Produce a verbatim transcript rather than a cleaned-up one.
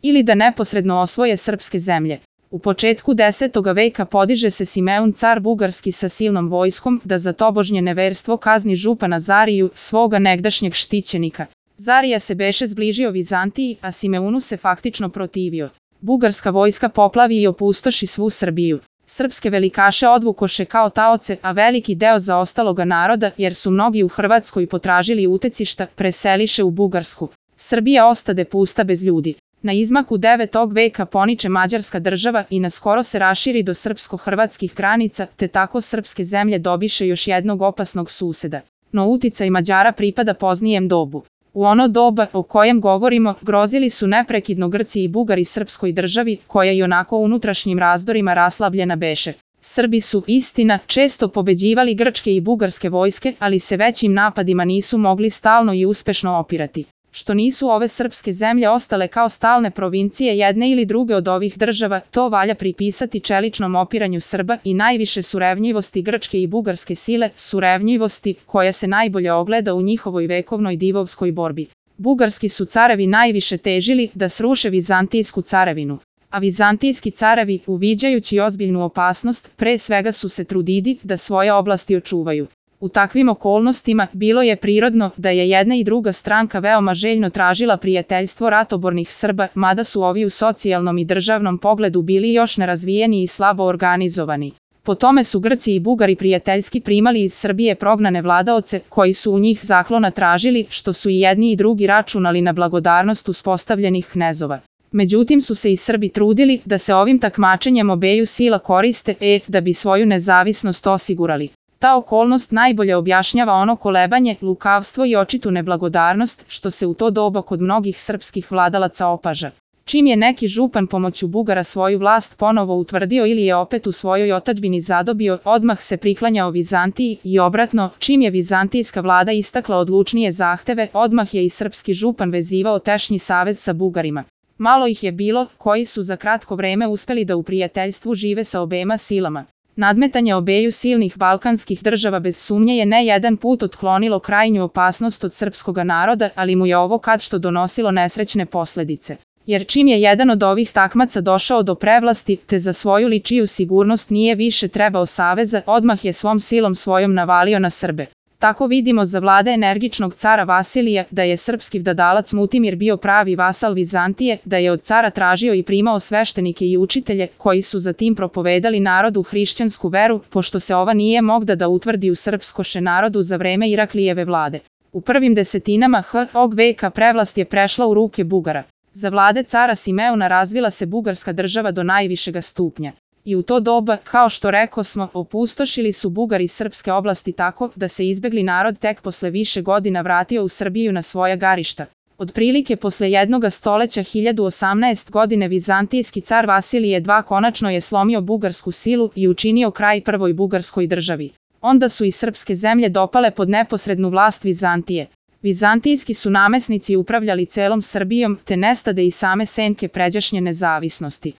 ili da neposredno osvoje srpske zemlje. U početku desetoga veka podiže se Simeun car bugarski sa silnom vojskom da za tobožnje neverstvo kazni župana Zariju, svoga negdašnjeg štićenika. Zarija se beše zbližio Vizantiji, a Simeunu se faktično protivio. Bugarska vojska poplavi i opustoši svu Srbiju. Srpske velikaše odvukoše kao taoce, a veliki deo zaostaloga naroda, jer su mnogi u Hrvatskoj potražili utecišta, preseliše u Bugarsku. Srbija ostade pusta bez ljudi. Na izmaku devetog veka poniče Mađarska država i naskoro se raširi do srpsko-hrvatskih granica, te tako srpske zemlje dobiše još jednog opasnog suseda. No uticaj Mađara pripada poznijem dobu. U ono doba o kojem govorimo, grozili su neprekidno Grci i Bugari srpskoj državi, koja i onako unutrašnjim razdorima raslabljena beše. Srbi su, istina, često pobeđivali grčke i bugarske vojske, ali se većim napadima nisu mogli stalno i uspešno opirati. Što nisu ove srpske zemlje ostale kao stalne provincije jedne ili druge od ovih država, to valja pripisati čeličnom opiranju Srba i najviše surevnjivosti grčke i bugarske sile, surevnjivosti koja se najbolje ogleda u njihovoj vekovnoj divovskoj borbi. Bugarski su carevi najviše težili da sruše Vizantijsku carevinu, a vizantijski carevi, uviđajući ozbiljnu opasnost, pre svega su se trudili da svoje oblasti očuvaju. U takvim okolnostima bilo je prirodno da je jedna i druga stranka veoma željno tražila prijateljstvo ratobornih Srba, mada su ovi u socijalnom i državnom pogledu bili još nerazvijeni i slabo organizovani. Po tome su Grci i Bugari prijateljski primali iz Srbije prognane vladaoce, koji su u njih zaklona tražili, što su i jedni i drugi računali na blagodarnost uspostavljenih knezova. Međutim su se i Srbi trudili da se ovim takmačenjem obeju sila koriste, e, da bi svoju nezavisnost osigurali. Ta okolnost najbolje objašnjava ono kolebanje, lukavstvo i očitu neblagodarnost, što se u to doba kod mnogih srpskih vladalaca opaža. Čim je neki župan pomoću Bugara svoju vlast ponovo utvrdio ili je opet u svojoj otadžbini zadobio, odmah se priklanjao Vizantiji i obratno, čim je vizantijska vlada istakla odlučnije zahteve, odmah je i srpski župan vezivao tešnji savez sa Bugarima. Malo ih je bilo, koji su za kratko vreme uspeli da u prijateljstvu žive sa obema silama. Nadmetanje obeju silnih balkanskih država bez sumnje je ne jedan put otklonilo krajnju opasnost od srpskoga naroda, ali mu je ovo kad što donosilo nesrećne posledice. Jer čim je jedan od ovih takmaca došao do prevlasti, te za svoju ličiju sigurnost nije više trebao saveza, odmah je svom silom svojom navalio na Srbe. Tako vidimo za vlade energičnog cara Vasilija da je srpski vladalac Mutimir bio pravi vasal Vizantije, da je od cara tražio i primao sveštenike i učitelje, koji su zatim propovedali narodu hrišćansku veru, pošto se ova nije mogla da utvrdi u srpskoše narodu za vreme Iraklijeve vlade. U prvim desetinama ovog veka prevlast je prešla u ruke Bugara. Za vlade cara Simeuna razvila se bugarska država do najvišega stupnja. I u to doba, kao što rekosmo, opustošili su Bugari srpske oblasti tako da se izbegli narod tek posle više godina vratio u Srbiju na svoja garišta. Otprilike posle jednoga stoleća hiljadu osamnaeste godine vizantijski car Vasilije drugi konačno je slomio bugarsku silu i učinio kraj prvoj bugarskoj državi. Onda su i srpske zemlje dopale pod neposrednu vlast Vizantije. Vizantijski su namesnici upravljali celom Srbijom, te nestade i same senke pređašnje nezavisnosti.